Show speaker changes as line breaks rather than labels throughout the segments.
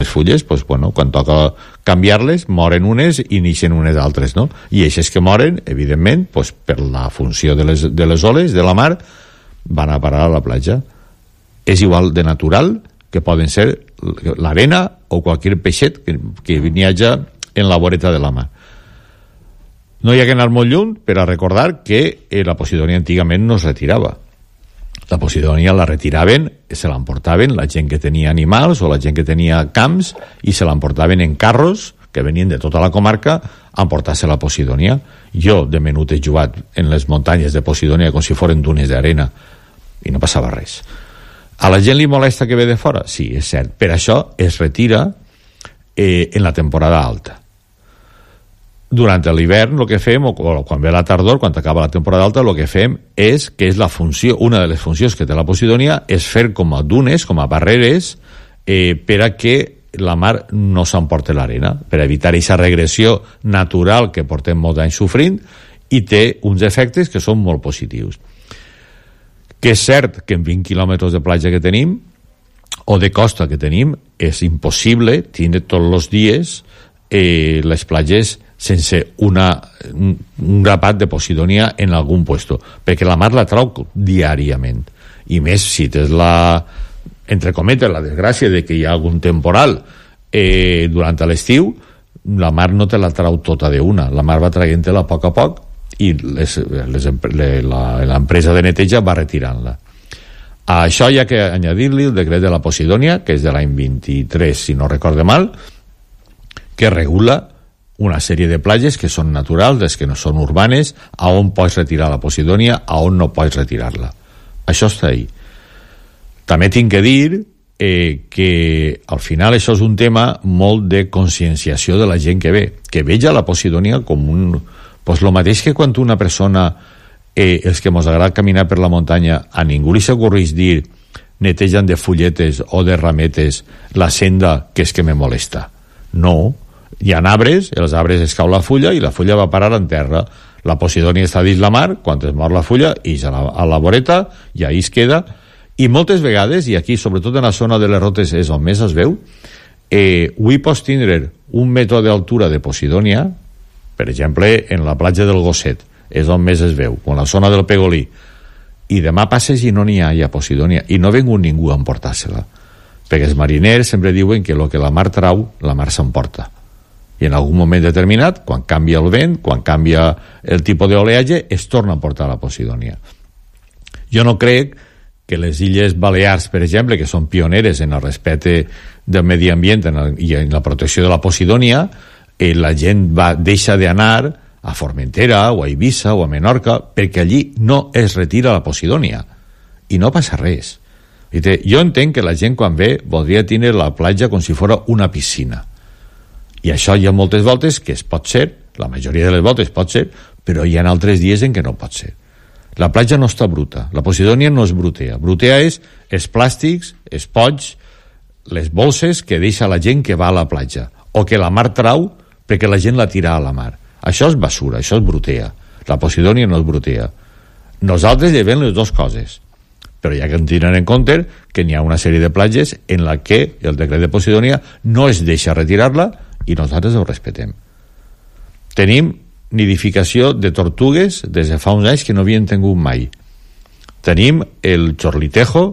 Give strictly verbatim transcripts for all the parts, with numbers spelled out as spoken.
les fulles, pues, bueno, quan toca canviar-les, moren unes i neixen unes altres, no? I eixes que moren, evidentment, pues, per la funció de les, de les oles, de la mar, van a parar a la platja. És igual de natural que poden ser l'arena o qualsevol peixet que, que viatja en la voreta de la mar. No hi ha que anar molt lluny per a recordar que eh, la Posidònia antigament no es retirava. La Posidònia la retiraven, se l'emportaven la gent que tenia animals o la gent que tenia camps i se l'emportaven en carros que venien de tota la comarca a emportar-se la Posidònia. Jo, de menut, he jugat en les muntanyes de Posidònia com si foren dunes d'arena i no passava res. A la gent li molesta que ve de fora? Sí, és cert. Per això es retira eh, en la temporada alta. Durant l'hivern el que fem, o quan ve la tardor, quan acaba la temporada alta, el que fem és que és la funció, una de les funcions que té la Posidònia és fer com a dunes, com a barreres, eh, per a que la mar no s'emporti l'arena, per evitar aquesta regressió natural que portem molts anys sofrint, i té uns efectes que són molt positius. Que és cert que en vint quilòmetres de platja que tenim, o de costa que tenim, és impossible tindre tots els dies eh, les platges sense una, un, un grapat de Posidònia en algun puesto, perquè la mar la trau diàriament, i més si tens la, entre cometes, la desgràcia de que hi ha algun temporal eh, durant l'estiu, la mar no te la trau tota d'una, la mar va traient-te-la a poc a poc i les, les, l'empresa de neteja va retirant-la. A això hi ha que añadir-li el decret de la Posidònia, que és de l'any vint-i-tres, si no recorde mal, que regula una sèrie de platges que són naturals, des que no són urbanes, a on pots retirar la Posidònia, a on no pots retirar-la. Això està ahí. També tinc que dir eh, que al final això és un tema molt de conscienciació de la gent que ve, que veja la Posidònia com un... Pues lo mateix que quan una persona, eh, els que mos agrada caminar per la muntanya, a ningú li s'ocorreix dir netegen de fulletes o de rametes la senda que és que me molesta. No, hi ha arbres, els arbres es cau la fulla i la fulla va parar en terra. La Posidònia està dins la mar, quan es mor la fulla, i a la, a la voreta, i ahí es queda. I moltes vegades, i aquí, sobretot en la zona de les rotes, és on més es veu, eh, avui pots tindre un metre d'altura de Posidònia, per exemple, en la platja del Gosset, és on més es veu, o en la zona del Pegolí, i demà passes i no n'hi ha ja Posidònia, i no ha vingut ningú a emportar-se-la, perquè els mariners sempre diuen que el que la mar trau, la mar s'emporta. I en algun moment determinat, quan canvia el vent, quan canvia el tipus d'oleatge, es torna a portar la Posidònia. Jo no crec que les Illes Balears, per exemple, que són pioneres en el respecte del medi ambient i en la protecció de la Posidònia, eh, la gent va deixar d'anar a Formentera o a Eivissa o a Menorca perquè allí no es retira la Posidònia i no passa res. Jo entenc que la gent quan ve voldria tenir la platja com si fos una piscina, i això hi ha moltes voltes que es pot ser, la majoria de les voltes pot ser, però hi ha altres dies en què no pot ser. La platja no està bruta, la Posidònia no és brutea. Brutea és els plàstics, els pots, les bolses que deixa la gent que va a la platja, o que la mar trau perquè la gent la tira a la mar. Això és basura, això és brutea. La Posidònia no és brutea. Nosaltres llevem les dues coses, però hi ha que tenir en compte que n'hi ha una sèrie de platges en la que el decret de Posidònia no es deixa retirar-la i nosaltres ho respetem. Tenim nidificació de tortugues des de fa uns anys que no havien tingut mai. Tenim el xorlitejo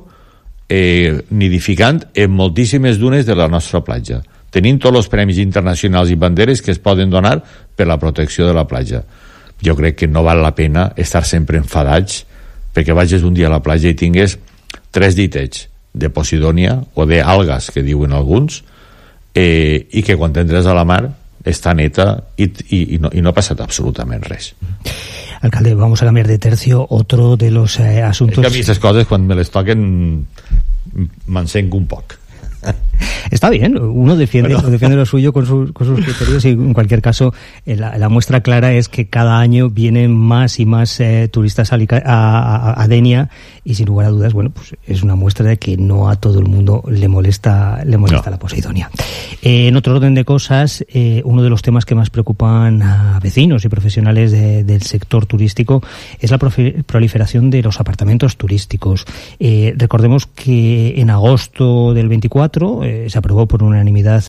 eh, nidificant en moltíssimes dunes de la nostra platja. Tenim tots els premis internacionals i banderes que es poden donar per la protecció de la platja. Jo crec que no val la pena estar sempre enfadats perquè vagis un dia a la platja i tingues tres ditets de Posidònia o d'algues, que diuen alguns, eh, i que quan entres a la mar està neta i, i, i, no, i no ha passat absolutament res.
Alcalde, vamos a cambiar de tercio. Otro de los eh, asuntos...
Es que a mi aquestes coses, quan me les toquen, m'encenco un poc.
Está bien, uno defiende, bueno. defiende lo suyo con, su, con sus criterios y en cualquier caso la, la muestra clara es que cada año vienen más y más eh, turistas a, a, a Denia y sin lugar a dudas, bueno, pues es una muestra de que no a todo el mundo le molesta le molesta no. la Posidònia. Eh, en otro orden de cosas, eh, uno de los temas que más preocupan a vecinos y profesionales de, del sector turístico es la proliferación de los apartamentos turísticos. Eh, recordemos que en agosto del veinticuatro Eh, se aprobó por unanimidad